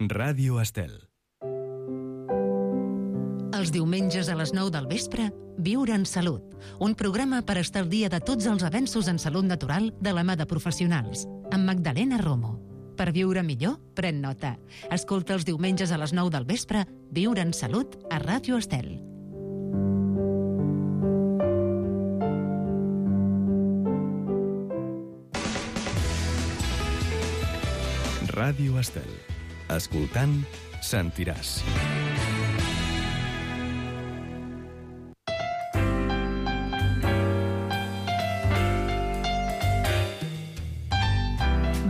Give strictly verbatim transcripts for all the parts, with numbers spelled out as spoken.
Ràdio Estel. Els diumenges a les nou del vespre, Viure en Salut, un programa per estar al dia de tots els avenços en salut natural de la mà de professionals, amb Magdalena Romo. Per viure millor, pren nota. Escolta els diumenges a les nou del vespre, Viure en Salut, a Ràdio Estel. Ràdio Estel. Escoltant, sentiràs.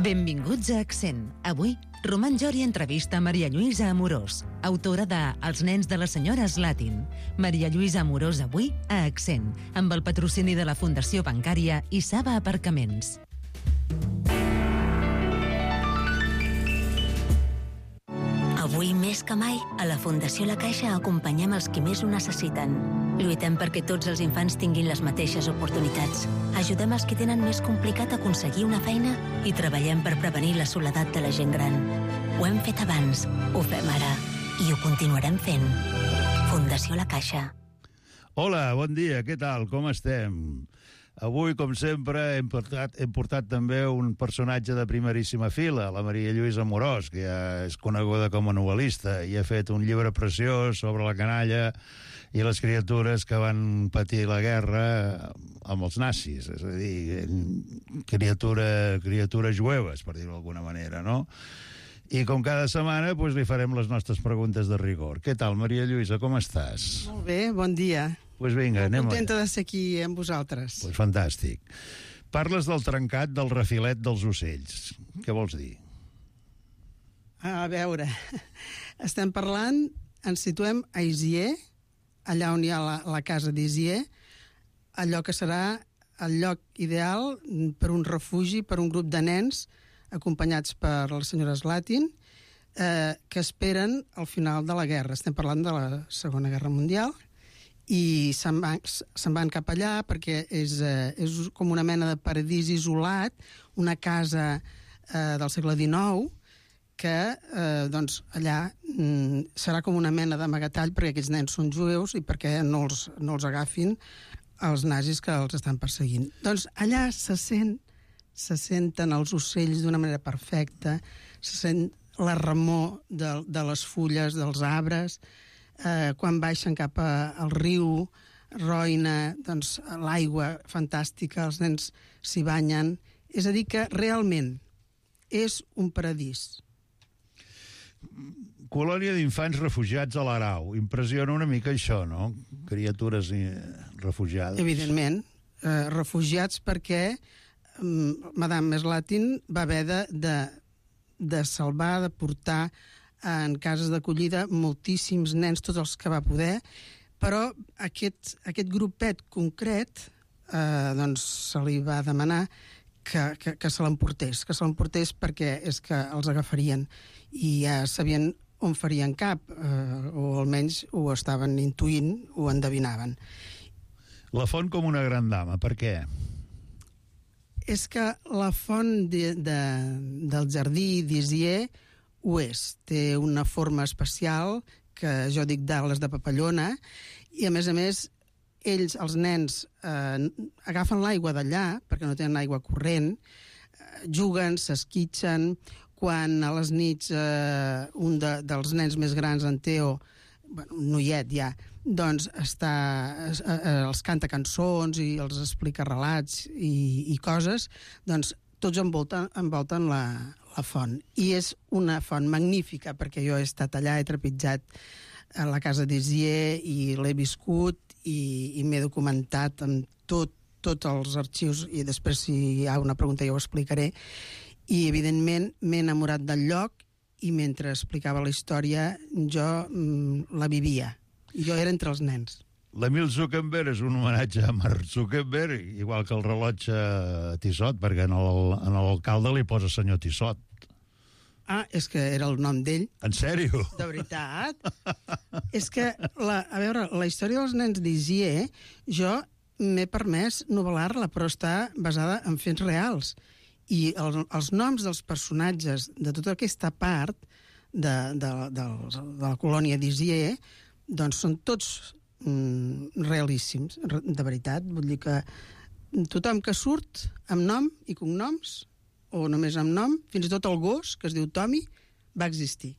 Benvinguts a Accent. Avui, Roman Jori entrevista a Maria Lluïsa Amorós, autora de Els nens de la senyora Slatin. Maria Lluïsa Amorós avui a Accent, amb el patrocini de la Fundació Bancària i Saba Aparcaments. Avui més que mai, a la Fundació La Caixa acompanyem els qui més ho necessiten. Lluitem perquè tots els infants tinguin les mateixes oportunitats. Ajudem els qui tenen més complicat aconseguir una feina i treballem per prevenir la soledat de la gent gran. Ho hem fet abans, ho fem ara i ho continuarem fent. Fundació La Caixa. Hola, bon dia, què tal? Com estem? Avui, com sempre, hem portat, hem portat també un personatge de primeríssima fila, la Maria Lluïsa Amorós, que ja és coneguda com a novel·lista i ha fet un llibre preciós sobre la canalla i les criatures que van patir la guerra amb els nazis, és a dir, criatura, criatures jueves, per dir-ho d'alguna manera, no? I com cada setmana, doncs, li farem les nostres preguntes de rigor. Què tal, Maria Lluïsa, com estàs? Molt bé, bon dia. Doncs pues vinga, anem. Contenta de ser aquí amb vosaltres. Doncs pues fantàstic. Parles del trencat del refilet dels ocells. Què vols dir? A veure, estem parlant, ens situem a Isier, allà on hi ha la, la casa d'Isier, allò que serà el lloc ideal per un refugi, per un grup de nens acompanyats per la senyora Slatin, eh, que esperen al final de la guerra. Estem parlant de la Segona Guerra Mundial, i se'n van, se'n van cap allà perquè és, eh, és com una mena de paradís isolat, una casa eh, del segle dinou, que eh, doncs, allà mm, serà com una mena d'amagatall perquè aquests nens són jueus i perquè no els, no els agafin els nazis que els estan perseguint. Doncs allà se sent se senten els ocells d'una manera perfecta, se sent la remor de, de les fulles dels arbres, eh, quan baixen cap a, al riu Roina, doncs l'aigua fantàstica, els nens s'hi banyen. És a dir, que realment és un paradís. Colònia d'infants refugiats a l'Arau. Impressiona una mica això, no? Criatures refugiades. Evidentment, eh, refugiats perquè Madame Slatin va haver de, de, de salvar, de portar en cases d'acollida moltíssims nens, tots els que va poder, però aquest, aquest grupet concret eh, doncs se li va demanar que, que, que se l'emportés, que se l'emportés perquè és que els agafarien i ja sabien on farien cap, eh, o almenys ho estaven intuint, ho endevinaven. La font com una gran dama, per què? És que la font de, de, del jardí d'Isier ho és. Té una forma especial, que jo dic d'ales de papallona, i a més a més, ells, els nens, eh, agafen l'aigua d'allà, perquè no tenen aigua corrent, eh, juguen, s'esquitxen, quan a les nits eh, un de, dels nens més grans, en Teo, bueno, un noiet ja, doncs està, eh, els canta cançons i els explica relats i, i coses, doncs tots envolten, envolten la, la font. I és una font magnífica, perquè jo he estat allà, he trepitjat a la casa d'Isier i l'he viscut i, i m'he documentat amb tot, tots els arxius, i després si hi ha una pregunta ja ho explicaré, i evidentment m'he enamorat del lloc i mentre explicava la història jo mm, la vivia. Jo era entre els nens. L'Emil Zuckerberg és un homenatge a Mark Zuckerberg, igual que el rellotge Tissot, perquè en el, en l'alcalde li posa senyor Tissot. Ah, és que era el nom d'ell. En sèrio? De veritat? És que, la, a veure, la història dels nens d'Isier, jo m'he permès novel·lar-la, però està basada en fets reals. I el, els noms dels personatges de tota aquesta part de, de, de, de la colònia d'Isier, doncs són tots mm, realíssims, de veritat. Vull dir que tothom que surt amb nom i cognoms, o només amb nom, fins i tot el gos, que es diu Tommy, va existir.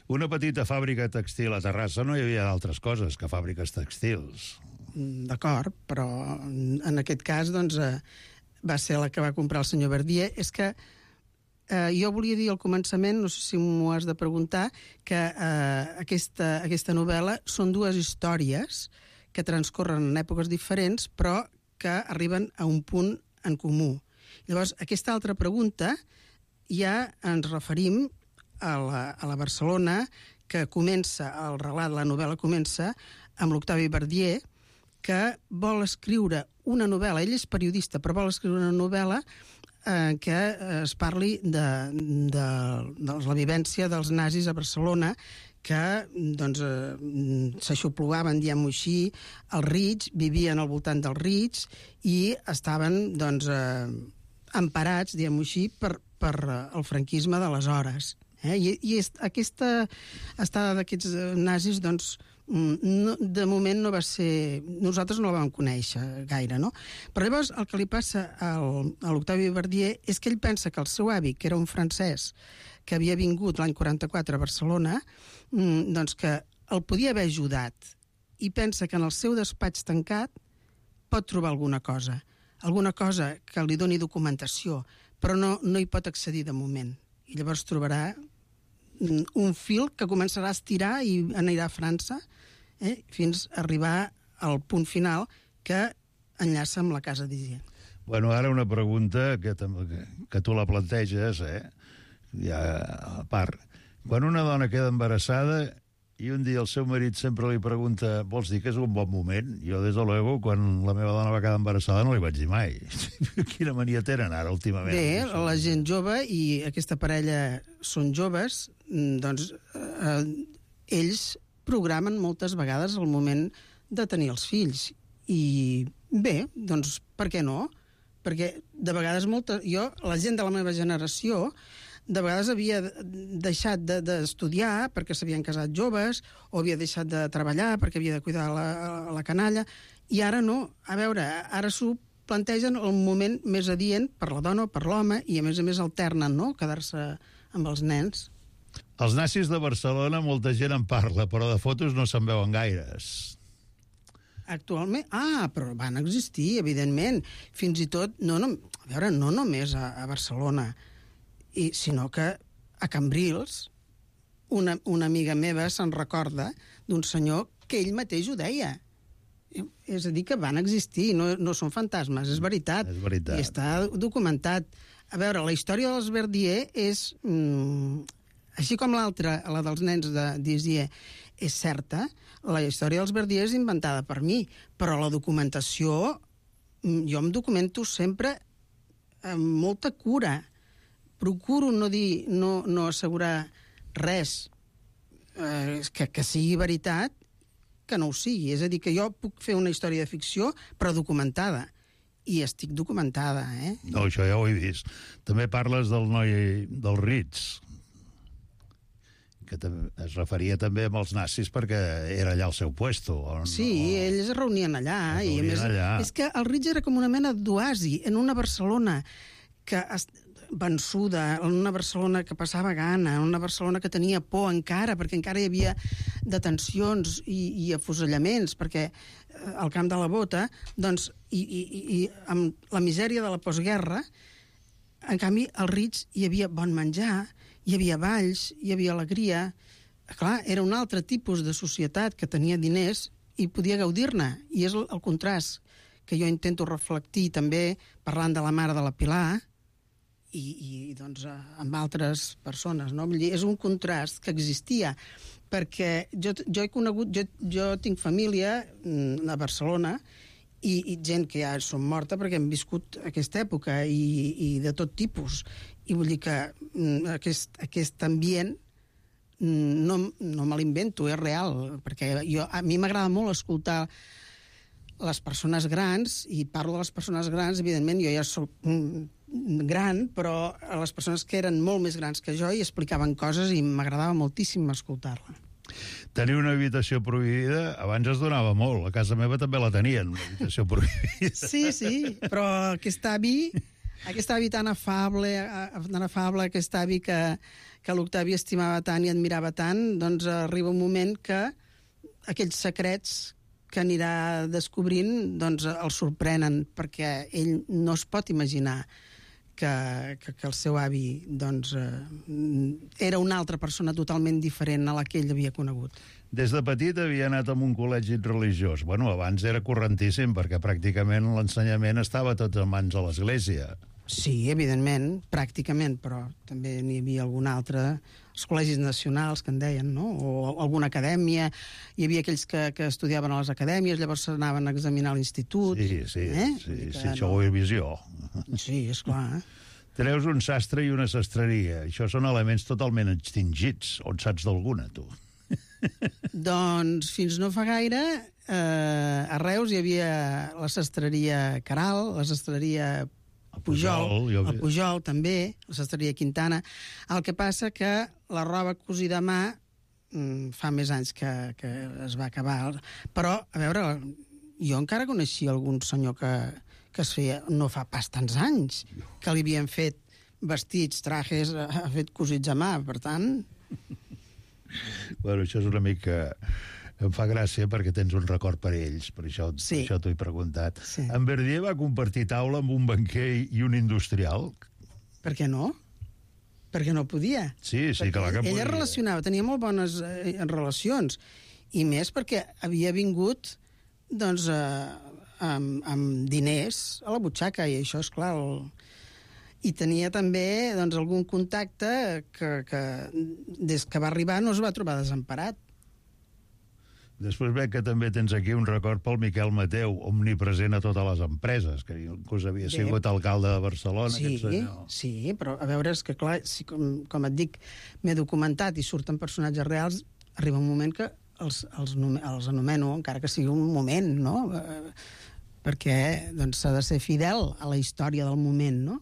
Una petita fàbrica textil a Terrassa, no hi havia altres coses que fàbriques textils. D'acord, però en aquest cas doncs, eh, va ser la que va comprar el senyor Verdier. És que eh, jo volia dir al començament, no sé si m'ho has de preguntar, que eh, aquesta, aquesta novel·la són dues històries que transcorren en èpoques diferents, però que arriben a un punt en comú. Llavors, aquesta altra pregunta ja ens referim a la, a la Barcelona que comença, el relat, la novel·la comença amb l'Octavi Verdier, que vol escriure una novel·la, ell és periodista, però vol escriure una novel·la eh, que es parli de, de, de la vivència dels nazis a Barcelona, que doncs, eh, s'aixoplugaven, diguem-ho així, als Rits, vivien al voltant dels Rits i estaven doncs, eh, emparats, diguem-ho així, per, per el franquisme d'aleshores. Eh? I, i est, aquesta estada d'aquests nazis, doncs, no, de moment no va ser... Nosaltres no la vam conèixer gaire, no? Però llavors el que li passa al, a l'Octavi Verdier és que ell pensa que el seu avi, que era un francès que havia vingut l'any quaranta-quatre a Barcelona, doncs que el podia haver ajudat, i pensa que en el seu despatx tancat pot trobar alguna cosa, alguna cosa que li doni documentació, però no, no hi pot accedir de moment. I llavors trobarà un fil que començarà a estirar i anirà a França, eh, fins a arribar al punt final que enllaça amb la casa d'Isier. Bueno, ara una pregunta que, que, que tu la planteges, eh? Ja, a part. Quan una dona queda embarassada i un dia el seu marit sempre li pregunta vols dir que és un bon moment? Jo, des de luego, quan la meva dona va quedar embarassada no li vaig dir mai. Quina mania tenen ara, últimament? Bé, la gent jove, i aquesta parella són joves, doncs eh, ells programen moltes vegades el moment de tenir els fills. I bé, doncs per què no? Perquè de vegades molta... Jo, la gent de la meva generació, de vegades havia deixat d'estudiar de, perquè s'havien casat joves, o havia deixat de treballar perquè havia de cuidar la, la canalla, i ara no. A veure, ara s'ho plantegen el moment més adient per la dona o per l'home, i a més a més alternen, no?, quedar-se amb els nens. Els nazis de Barcelona molta gent en parla, però de fotos no se'n veuen gaires. Actualment? Ah, però van existir, evidentment. Fins i tot, no, no, a veure, no només a, a Barcelona, i, sinó que a Cambrils una, una amiga meva se'n recorda d'un senyor que ell mateix ho deia. És a dir, que van existir, no, no són fantasmes, és veritat. És veritat. I està documentat. A veure, la història dels Verdier és... Mm, així com l'altra, la dels nens d'Isier, és certa, la història dels Verdier és inventada per mi, però la documentació, jo em documento sempre amb molta cura. Procuro no dir, no, no assegurar res eh, que, que sigui veritat, que no ho sigui. És a dir, que jo puc fer una història de ficció, però documentada. I estic documentada, eh? No, això ja ho he vist. També parles del noi dels Rits, que es referia també amb els nazis perquè era allà el seu puesto. On, sí, o... ells es reunien allà. Es reunien i a més, allà. És que el Rits era com una mena d'oasi en una Barcelona que es... vençuda, en una Barcelona que passava gana, en una Barcelona que tenia por encara, perquè encara hi havia detencions i, i afusellaments, perquè al camp de la Bota, doncs, i, i, i amb la misèria de la postguerra, en canvi, als Rits hi havia bon menjar, hi havia balls, hi havia alegria. Clar, era un altre tipus de societat que tenia diners i podia gaudir-ne, i és el, el contrast que jo intento reflectir també parlant de la mare de la Pilar, i, i doncs, amb altres persones, no? Vull dir, és un contrast que existia, perquè jo, jo he conegut, jo, jo tinc família a Barcelona i, i gent que ja són morta perquè han viscut aquesta època i, i de tot tipus. I vull dir que aquest, aquest ambient no, no me l'invento, és real, perquè jo, a mi m'agrada molt escoltar les persones grans, i parlo de les persones grans, evidentment, jo ja soc gran, però a les persones que eren molt més grans que jo i explicaven coses i m'agradava moltíssim escoltar-la. Tenir una habitació prohibida abans es donava molt. A casa meva també la tenien, una habitació prohibida. Sí, sí, però aquest avi, aquest avi tan afable, tan afable, aquest avi que, que l'Octavi estimava tant i admirava tant, doncs arriba un moment que aquells secrets que anirà descobrint doncs el sorprenen, perquè ell no es pot imaginar que, que, que el seu avi doncs, eh, era una altra persona totalment diferent a la que ell havia conegut. Des de petit havia anat a un col·legi religiós. Bueno, abans era correntíssim, perquè pràcticament l'ensenyament estava tot en mans de l'Església. Sí, evidentment, pràcticament, però també n'hi havia algun altre, els col·legis nacionals, que en deien, no? O alguna acadèmia. Hi havia aquells que, que estudiaven a les acadèmies, llavors s'anaven a examinar a l'institut. Sí, sí, eh? sí, que, sí, això ho he vist jo. Sí, esclar. Eh? Treus un sastre i una sastreria. Això són elements totalment extingits. On saps d'alguna, tu? Doncs fins no fa gaire, eh, a Reus hi havia la sastreria Caral, la sastreria Pujol, Pujol jo... el Pujol també, la sastreria Quintana. El que passa que la roba cosida a mà mm, fa més anys que, que es va acabar. Però, a veure, jo encara coneixia algun senyor que, que es feia, no fa pas tants anys, que li havien fet vestits, trajes, ha fet cosits a mà, per tant... Bueno, això és una mica... Em fa gràcia perquè tens un record per ells, per això, sí. per això t'ho he preguntat. Sí. En Verdier va compartir taula amb un banquer i un industrial? Per què no? Perquè no podia. Sí, sí, perquè clar que podia. Ella relacionava, tenia molt bones eh, relacions, i més perquè havia vingut doncs, eh, amb, amb diners a la butxaca, i això, és clar, el... i tenia també doncs, algun contacte que, que des que va arribar no es va trobar desemparat. Després veig que també tens aquí un record pel Miquel Mateu, omnipresent a totes les empreses, que inclús havia Bé. sigut alcalde de Barcelona, Sí, aquest senyor. sí, però a veure, és que clar, si, com, com et dic, m'he documentat i surten personatges reals, arriba un moment que els, els, els anomeno, encara que sigui un moment, no? Eh, perquè doncs, s'ha de ser fidel a la història del moment, no?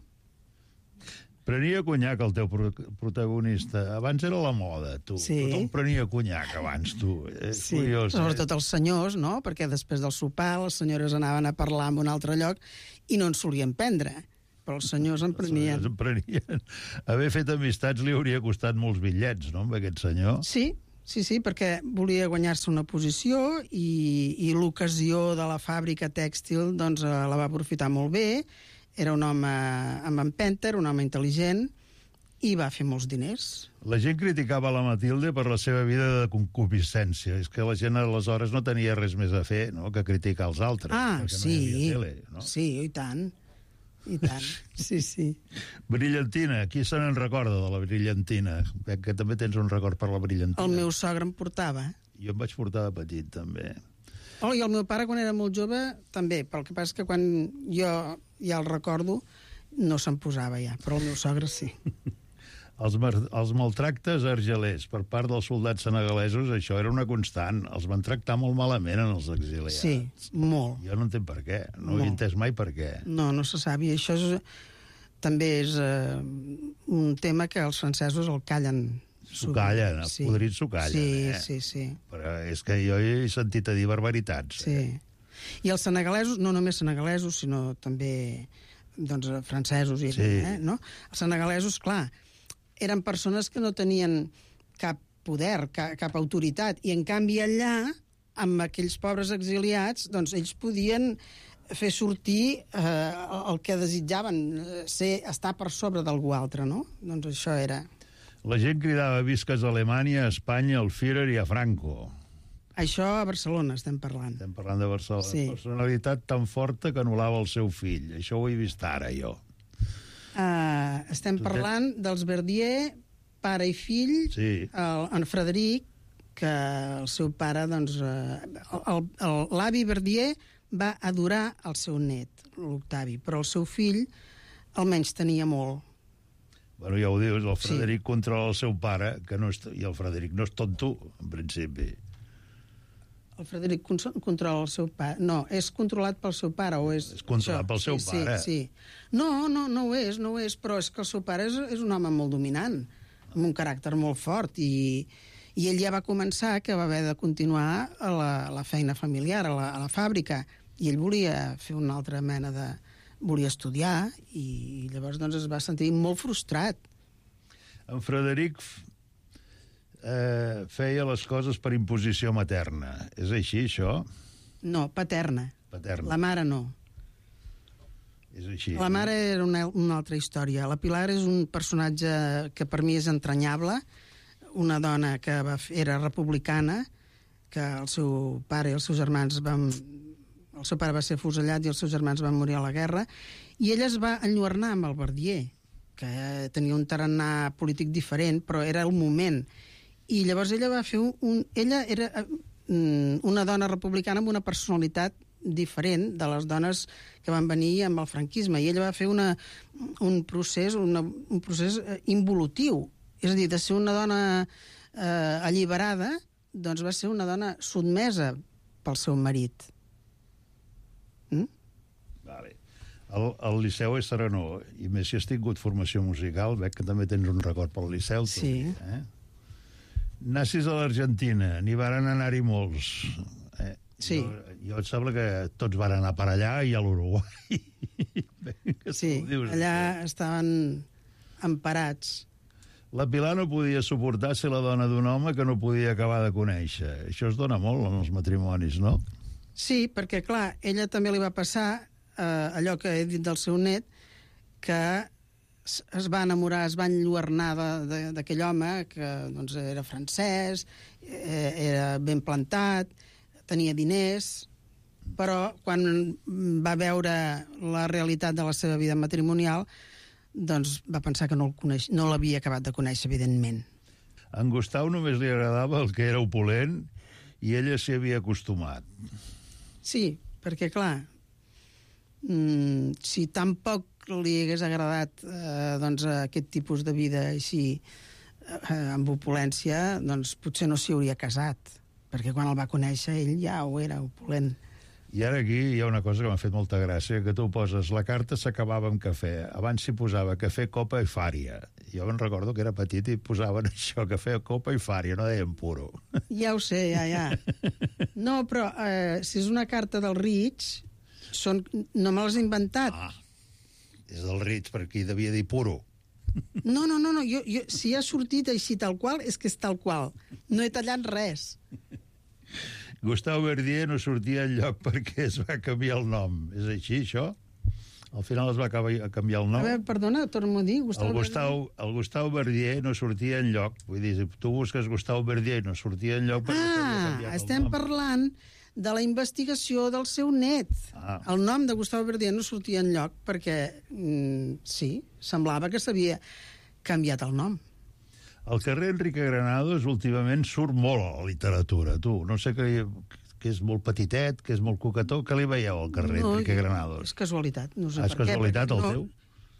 Prenia conyac el teu pro protagonista. Abans era la moda, tu. Sí. Tothom prenia conyac abans, tu. És Sí, curiós, sobretot els senyors, no? Perquè després del sopar les senyores anaven a parlar en un altre lloc i no en solien prendre, però els senyors en prenien. En prenien. Haver fet amistats li hauria costat molts bitllets, no?, amb aquest senyor. Sí, sí, sí, perquè volia guanyar-se una posició i, i l'ocasió de la fàbrica tèxtil doncs, la va aprofitar molt bé. Era un home amb empenta, un home intel·ligent, i va fer molts diners. La gent criticava la Matilde per la seva vida de concupiscència. És que la gent aleshores no tenia res més a fer, no?, que criticar els altres. Ah, perquè sí, no hi havia tele, no? sí, i tant, i tant, sí, sí. Brillantina, qui se n'en recorda de la Brillantina? Veig que també tens un record per la Brillantina. El meu sogre em portava. Jo em vaig portar de petit, també. Oh, i el meu pare, quan era molt jove, també, però el que passa és que quan jo ja el recordo, no se'n posava ja, però el meu sogre sí. Els, els maltractes argelers per part dels soldats senegalesos, això era una constant. Els van tractar molt malament en els exiliats. Sí, molt. Jo no entenc per què. No Molt. he entès mai per què. No, no se sap, i això és, també és eh, un tema que els francesos el callen. S'ho callen, els podrits s'ho callen. Sí, eh? sí, sí. Però és que jo he sentit a dir barbaritats. Sí. Eh? I els senegalesos, no només senegalesos, sinó també doncs, francesos, i, Sí. eh, no? Els senegalesos, clar, eren persones que no tenien cap poder, cap, cap autoritat, i en canvi allà, amb aquells pobres exiliats, doncs ells podien fer sortir eh, el que desitjaven, ser, estar per sobre d'algú altre, no? Doncs això era... La gent cridava visques a Alemanya, a Espanya, al Führer i a Franco. Això a Barcelona estem parlant. Estem parlant de Barcelona. Sí. Personalitat tan forta que anul·lava el seu fill. Això ho he vist ara, jo. Uh, estem parlant dels Verdier, pare i fill, Sí. el, en Frederic, que el seu pare, doncs, uh, l'avi Verdier va adorar el seu net, l'Octavi, però el seu fill almenys tenia molt. Bueno, ja ho dius, el Frederic Sí. controla el seu pare, que no és, i el Frederic no és tonto, en principi. El Frederic controla el seu pare. No, és controlat pel seu pare, o és... És controlat això? pel seu sí, pare. Sí, sí. No, no, no ho és, no ho és, però és que el seu pare és, és un home molt dominant, amb un caràcter molt fort, i, i ell ja va començar que va haver de continuar a la, a la feina familiar, a la, a la fàbrica, i ell volia fer una altra mena de... volia estudiar, i llavors doncs, es va sentir molt frustrat. En Frederic eh, feia les coses per imposició materna. És així, això? No, paterna. Paterna. La mare no. És així. La mare era una, una altra història. La Pilar és un personatge que per mi és entranyable, una dona que va, era republicana, que el seu pare i els seus germans van... El seu pare va ser fusellat i els seus germans van morir a la guerra, i ella es va enlluernar amb el Verdier, que tenia un tarannà polític diferent, però era el moment. I llavors ella va fer un... un ella era una dona republicana amb una personalitat diferent de les dones que van venir amb el franquisme, i ella va fer una, un procés una, un procés involutiu, és a dir, de ser una dona eh, alliberada, doncs va ser una dona sotmesa pel seu marit. Mm? Vale. El, el Liceu és serenor, i més si has tingut formació musical, veig que també tens un record pel Liceu. Sí. Tu, eh? Nassis a l'Argentina, n'hi varen anar-hi molts. Eh? Sí. Jo, jo et sembla que tots van anar per allà i a l'Uruguai. Sí, allà estaven emparats. La Pilar no podia suportar ser la dona d'un home que no podia acabar de conèixer. Això es dona molt en els matrimonis, no? Sí, perquè, clar, ella també li va passar eh, allò que he dit del seu net, que es va enamorar, es va enlluernar d'aquell home, que doncs, era francès, eh, era ben plantat, tenia diners, però quan va veure la realitat de la seva vida matrimonial, doncs va pensar que no el coneix, no l'havia acabat de conèixer, evidentment. A en Gustau només li agradava el que era opulent i ella s'hi havia acostumat. Sí, perquè, clar, mmm, si tampoc li hagués agradat eh, doncs, aquest tipus de vida així, eh, amb opulència, doncs potser no s'hi hauria casat, perquè quan el va conèixer ell ja ho era, opulent. I ara aquí hi ha una cosa que m'ha fet molta gràcia, que tu poses, la carta s'acabava amb cafè. Abans s'hi posava cafè, copa i fària. Jo me'n recordo que era petit i posaven això, cafè, copa i fària, no deien puro. Ja ho sé, ja, ja. No, però eh, si és una carta del Rich, són... no me l'has inventat. Ah, és del Ritz, per aquí devia dir puro. No, no, no, no. Jo, jo, si ha sortit així tal qual, és que és tal qual. No he tallat res. Gustau Verdier no sortia enlloc perquè es va canviar el nom. És així, això? Al final es va canviar el nom. A veure, perdona, torno a dir. Gustau el, Gustau, el Gustau Verdier no sortia enlloc. Vull dir, si tu busques Gustau Verdier i no sortia enlloc... Ah, estem parlant de la investigació del seu net. Ah. El nom de Gustau Verdier no sortia enlloc perquè, mm, sí, semblava que s'havia canviat el nom. El carrer Enrique Granados últimament surt molt a la literatura, tu. No sé que, que és molt petitet, que és molt coquetó. Què li veieu al carrer no, Enrique Granados? És casualitat. No sé ah, és per casualitat què, el no, teu?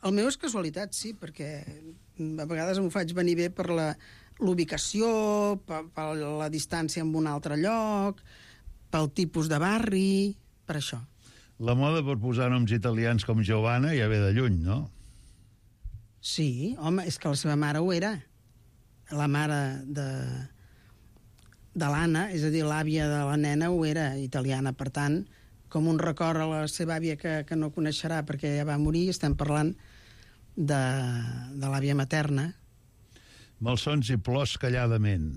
El meu és casualitat, sí, perquè a vegades m'ho faig venir bé per la l'ubicació, per, per la distància amb un altre lloc, pel tipus de barri, per això. La moda per posar noms italians com Giovanna ja ve de lluny, no? Sí, home, és que la seva mare ho era. La mare de, de l'Anna, és a dir, l'àvia de la nena, ho era italiana. Per tant, com un record a la seva àvia que, que no coneixerà perquè ja va morir, estem parlant de, de l'àvia materna. Malsons i plors calladament.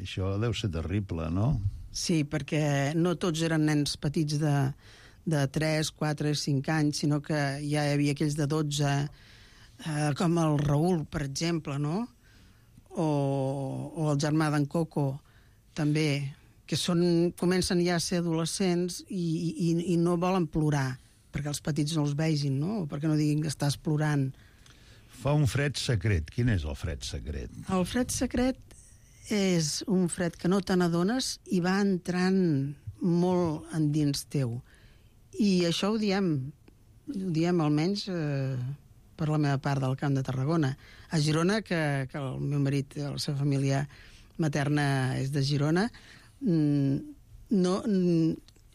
Això deu ser terrible, no? Sí, perquè no tots eren nens petits de, de tres, quatre, cinc anys, sinó que ja hi havia aquells de dotze, eh, com el Raül, per exemple, no? O, o el germà d'en Coco, també, que són, comencen ja a ser adolescents i, i, i no volen plorar, perquè els petits no els vegin, no? O perquè no diguin que estàs plorant. Fa un fred secret. Quin és el fred secret? El fred secret és un fred que no te n'adones i va entrant molt endins teu. I això ho diem, ho diem almenys... Eh, per la meva part del Camp de Tarragona. A Girona, que, que el meu marit, la seva família materna és de Girona, mmm, no,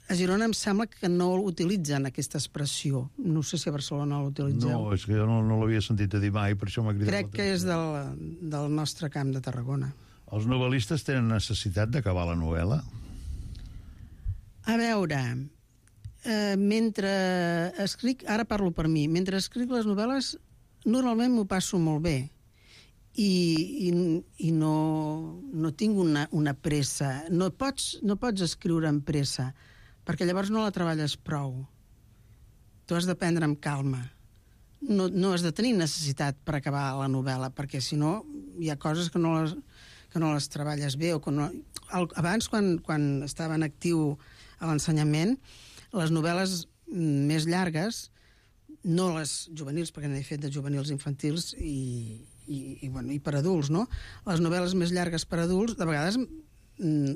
a Girona em sembla que no utilitzen aquesta expressió. No sé si a Barcelona l'utilitzeu. No, és que jo no, no l'havia sentit a dir mai, per això m'ha cridat. Crec que és del, del nostre camp de Tarragona. Els novel·listes tenen necessitat d'acabar la novel·la? A veure, eh, mentre escric, ara parlo per mi, mentre escric les novel·les normalment m'ho passo molt bé i, i, i no, no tinc una, una pressa. No pots, no pots escriure amb pressa, perquè llavors no la treballes prou. Tu has de prendre amb calma. No, no has de tenir necessitat per acabar la novel·la, perquè si no hi ha coses que no les, que no les treballes bé. O que no... Abans, quan, quan estava en actiu a l'ensenyament, les novel·les més llargues, no les juvenils, perquè n'he fet de juvenils infantils i, i, i, bueno, i per adults, no? Les novel·les més llargues per adults, de vegades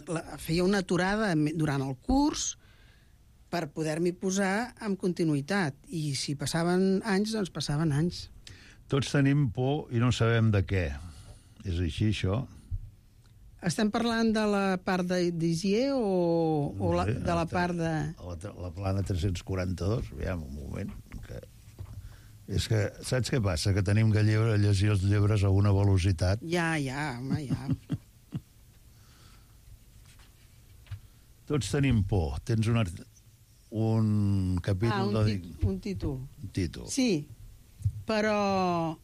la, feia una aturada durant el curs per poder-m'hi posar amb continuïtat. I si passaven anys, doncs passaven anys. Tots tenim por i no sabem de què. És així, això? Estem parlant de la part d'Isier o, o la, de la part de... La, la plana tres-cents quaranta-dos, aviam, un moment, que... És que, saps què passa? Que tenim que lleure, llegir els llibres a una velocitat. Ja, ja, home, ja. Tots tenim por. Tens un, un capítol... Ah, un, de... tit un títol. Un títol. Sí, però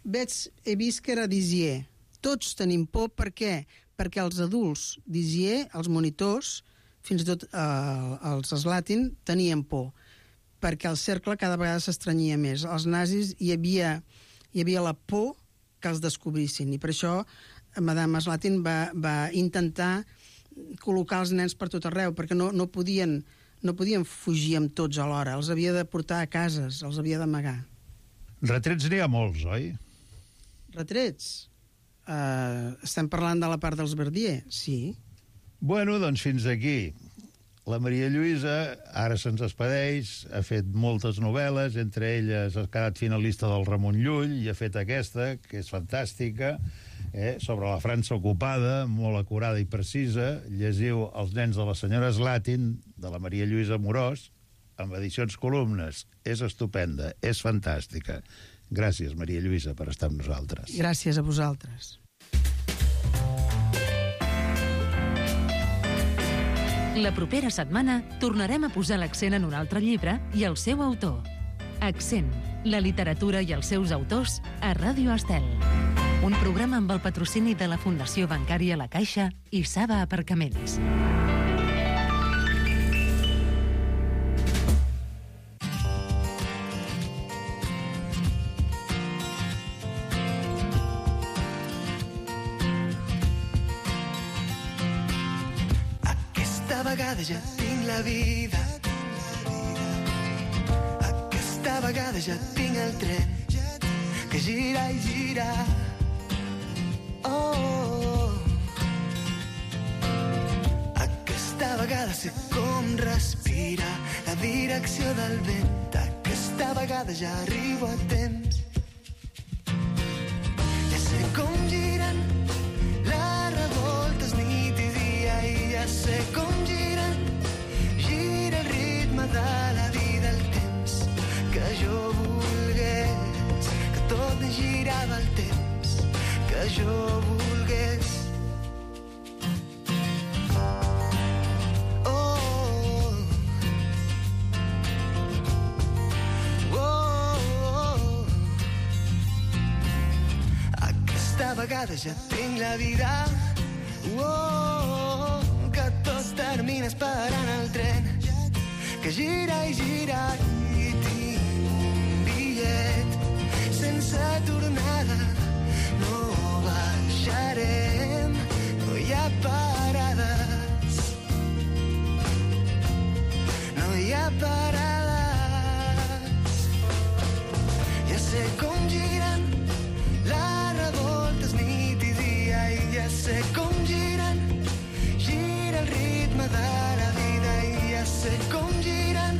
veig, he vist que era d'Isier. Tots tenim por, per què? Perquè els adults d'Isier, els monitors, fins i tot eh, els Slatin, tenien por, perquè el cercle cada vegada s'estranyia més. Els nazis hi havia, hi havia la por que els descobrissin, i per això Madame Slatin va, va intentar col·locar els nens per tot arreu, perquè no, no, podien, no podien fugir amb tots alhora, els havia de portar a cases, els havia d'amagar. Retrets n'hi ha molts, oi? Retrets? Uh, estem parlant de la part dels Verdier, sí. Bueno, doncs fins aquí. La Maria Lluïsa ara se'ns expedeix, ha fet moltes novel·les, entre elles ha quedat finalista del Ramon Llull i ha fet aquesta, que és fantàstica, eh, sobre la França ocupada, molt acurada i precisa. Llegiu Els nens de la senyora Slatin, de la Maria Lluïsa Amorós, amb edicions Columnes. És estupenda, és fantàstica. Gràcies, Maria Lluïsa, per estar amb nosaltres. Gràcies a vosaltres. La propera setmana tornarem a posar l'accent en un altre llibre i el seu autor. Accent, la literatura i els seus autors a Ràdio Estel. Un programa amb el patrocini de la Fundació Bancària La Caixa i Saba Aparcaments. Aquesta vegada ja tinc la vida. Aquesta vegada ja tinc el tren que gira i gira. Oh, oh, oh. Aquesta vegada sé com respira la direcció del vent. Aquesta vegada ja arribo a temps. Ja sé com giren les revoltes nit i dia i ja sé com giren, gira el ritme de la vida, el temps que jo volgués, que tot girava el temps que jo volgués. Oh, oh, oh. Aquesta vegada ja tinc la vida. Oh, que tot termina esperant el tren que gira i gira i tinc un bitllet sense tornada. No baixarem, no hi ha parades, no hi ha parades. Ja sé com giren les revoltes nit i dia i ja sé com giren, gira el ritme de la vida i ja sé com giren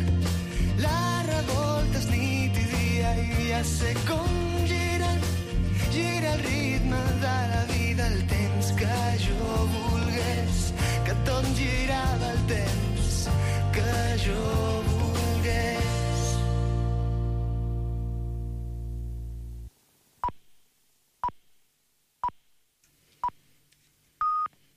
les revoltes nit i dia i ja sé com giren, gira el ritme de la vida, el temps que jo volgués, que tot girava el temps jo.